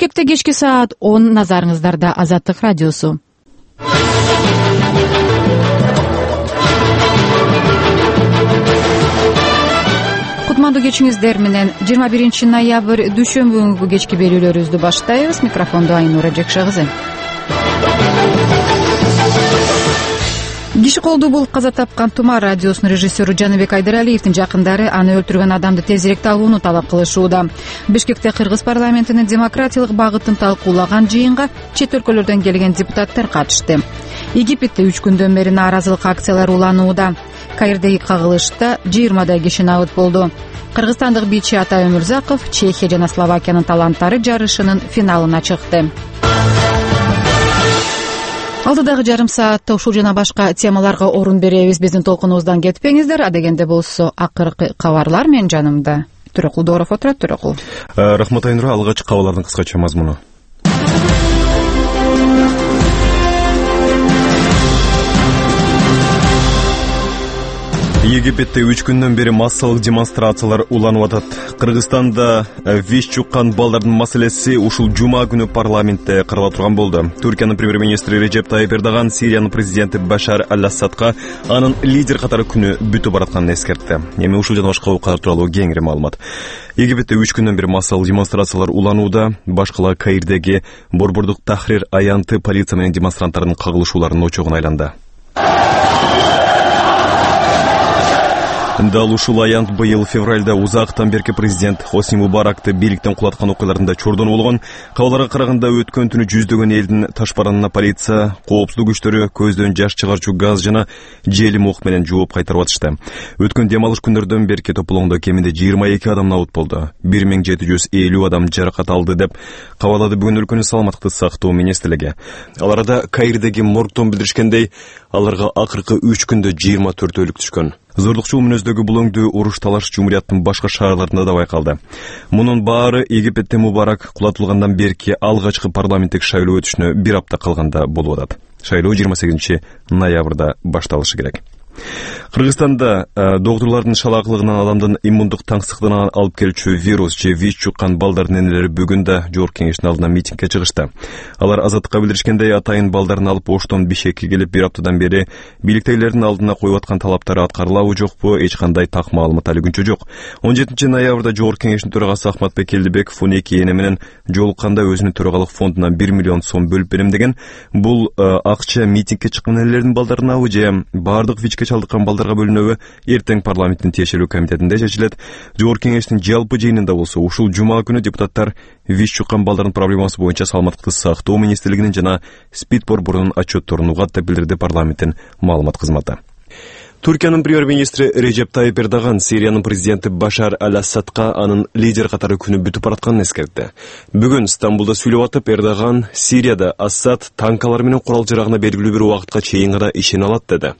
Бишкекте кечки саат 10 назарыңыздарда Азаттык радиосу. Кутмандуу кечиңиздер менен 21 ноябрь дүйшөмбү күнгү кечки берүүлөрүбүздү баштайбыз. Микрофондо Айнура Жекшагызы. Киши колду бул каза тапкан Тума радиосунун режиссеру Жаныбек Айдаралиевдин жакындары аны өлтүргөн адамды тезирээк табууну талап кылышууда. Бишкекте Кыргыз парламентинин демократиялык багытын талкуулаган жыйынга чет өлкөлөрдөн келген депутаттар катышты. Египетте 3 күндөн бери нааразылык акциялары уланууда. Каирдеги кагылышта 20 киши набыт болду. Кыргызстандык бийчи Атай Өмүрзаков Чехия жана Словакиянын таланттары жарышынын финалына чыкты. Алдыдагы жарым саатта ушул жана башка темаларга орун беребиз. Биздин толкунубуздан кетпеңиздер. Адегенде болсо акыркы кабарлар менен жанымда Төрөкул Дооров отурат. Төрөкул. Рахмат Айнура. Алгачкы кабарлардын кыскача мазмуну. Египетте 3 күндөн бери массалык демонстрациялар уланып атат. Кыргызстанда ВИЧ жуккан балдардын маселеси ушул жума күнү парламентте карала турган болду. Түркиянын премьер-министри Режеп Тайип Эрдоган Сириянын президенти Башар аль-Асадка анын лидер катары күнү бүтүп баратканын эскертти. Эми ушул жана башка окуялар тууралуу кеңири маалымат. Египетте 3 күндөн бери массалык демонстрациялар уланууда. Башкала Каирдеги борбордук Тахрир аянты полиция менен демонстранттардын кагылышууларынын очогуна айланды. Дал ушул аянт быйыл февралда узактан берки президент Хосни Мубаракты бийликтен кулаткан окуяларында чордон болгон. Кабарларга караганда өткөн түнү жүздөгөн элдин ташбаранына полиция, коопсуздук күчтөрү көздөн жаш чыгарчу газ жана желим ок менен жооп кайтарып атышты. Өткөн дем алыш күндөрдөн берки тополоңдо кеминде 22 адам набыт болду. 1750 адам жаракат алды деп кабарлады бүгүн өлкөнүн саламаттыкты сактоо министрлиги. Аларда Каирдеги моргтон билдиришкендей, аларга акыркы 3 күндө 24 өлүк түшкөн. Зордукчул мүнөздөгү бул өңдүү уруш талаш жумурияттын башка шаарларында да байкалды. Мунун баары Египетте Мубарак кулатылгандан берки алгачкы парламенттик шайлоо өтүшүнө 1 апта калганда болуп атат. Шайлоо 28 ноябрда башталышы керек. Кыргызстанда доктурлардын шалаакылыгынан адамдын иммундук таңсыктыгына алып келүүчү вирус же ВИЧ жуккан балдардын энелери бүгүн да Жогорку кеңештин алдына митингге чыгышты. Алар Азаттыкка билдиришкендей, атайын балдарын алып Оштон Бишкекке келип 1 аптадан бери бийликтегилердин алдына коюп аткан талаптары аткарылабы жокпу, эч кандай так маалымат али күнчө жок. 17 ноябрда Жогорку кеңештин төрагасы Ахматбек Келдибеков 12 эне менен жолукканда өзүнүн төрагалык фондунан 1 миллион сом бөлүп берем деген. Бул акча митингге чыккан энелердин балдарынабы же бардык ВИЧке чалдыккан балдарга бөлүнөбү эртең парламенттин тиешелүү комитетинде чечилет. Жогорку кеңештин жалпы жыйынында болсо ушул жума күнү депутаттар ВИЧ жуккан балдардын проблемасы боюнча саламаттыкты сактоо министрлигинин жана СПИД борборунун отчетторун угат деп билдирди парламенттин маалымат кызматы. Түркиянын премьер-министри Режеп Тайип Эрдоган Сириянын президенти Башар аль-Асадка анын лидер катары күнү бүтүп баратканын эскертти. Бүгүн Стамбулда сүйлөп атып, Эрдоган Сирияда Асад танкалар менен курал жарагына белгилүү бир убакытка чейин гана ишене алат деди.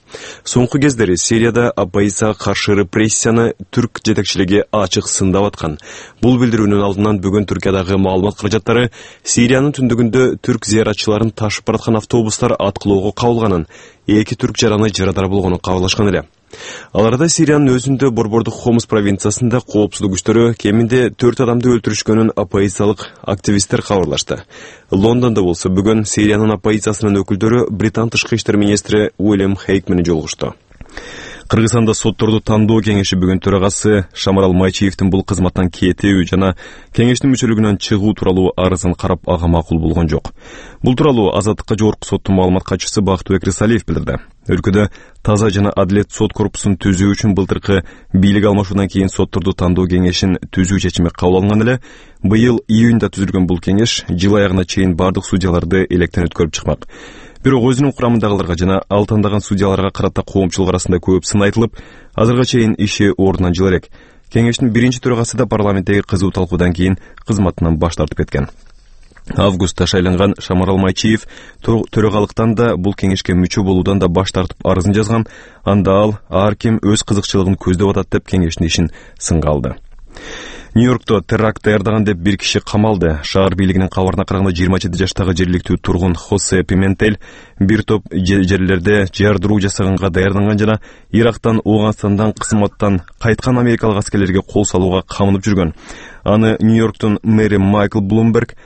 Соңку кездери Сирияда оппозицияга каршы репрессияны түрк жетекчилиги ачык сындап аткан. Бул билдирүүнүн алдынан бүгүн Түркиядагы маалымат каражаттары Сириянын түндүгүндө түрк зыяратчыларын ташып бараткан автобустар аткылоого кабылганын, 2 түрк жараны жарадар болгонун кабарлашкан эле. Аларда Сириянын өзүндө борбордук Хомс провинциясында коопсуздук күчтөрү кеминде 4 адамды өлтүрүшкөнүн оппозициялык активисттер кабарлашты. Лондондо болсо бүгүн Сириянын оппозициясынын өкүлдөрү Британ тышкы иштер министри Уильям Хейк менен жолугушту. Кыргызстанда сотторду тандоо кеңеши бүгүн төрагасы Шамарал Майчиевдин бул кызматтан кетүү жана кеңештин мүчөлүгүнөн чыгуу тууралуу арызын карап ага макул болгон жок. Бул тууралуу Азаттыкка Жогорку соттун маалымат катчысы Бактыбек Рисалиев билдирди. Өлкөдө таза жана адилет сот корпусун түзүү үчүн былтыркы бийлик алмашуудан кийин сотторду тандоо кеңешин түзүү чечими кабыл алынган эле. Быйыл июнда түзүлгөн бул кеңеш жыл аягына чейин бардык судьяларды электен өткөрүп чыкмак. Бирок өзүнүн курамындагыларга жана ал тандаган судьяларга карата коомчулук арасында көп сын айтылып, азыркыга чейин иши ордунан жыл элек. Кеңештин биринчи төрагасы да парламенттеги кызуу талкуудан кийин кызматынан баш тартып кеткен. Августта шайланган Шамарал Майчиев төрагалыктан да бул кеңешке мүчө болуудан да баш тартып арызын жазган. Анда ал ар ким өз кызыкчылыгын көздөп атат деп кеңештин ишин сынга алды. Нью-Йоркто теракт даярдаган деп бир киши камалды. Шаар бийлигинин кабарына караганда 27 жаштагы жергиликтүү тургун Хосе Пиментель бир топ жерлерде жардыруу жасаганга даярданган жана Ирактан, Ооганстандан, кызматтан кайткан америкалык аскерлерге кол салууга камынып жүргөн. Аны Нью-Йорктун мэри Майкл Блумберг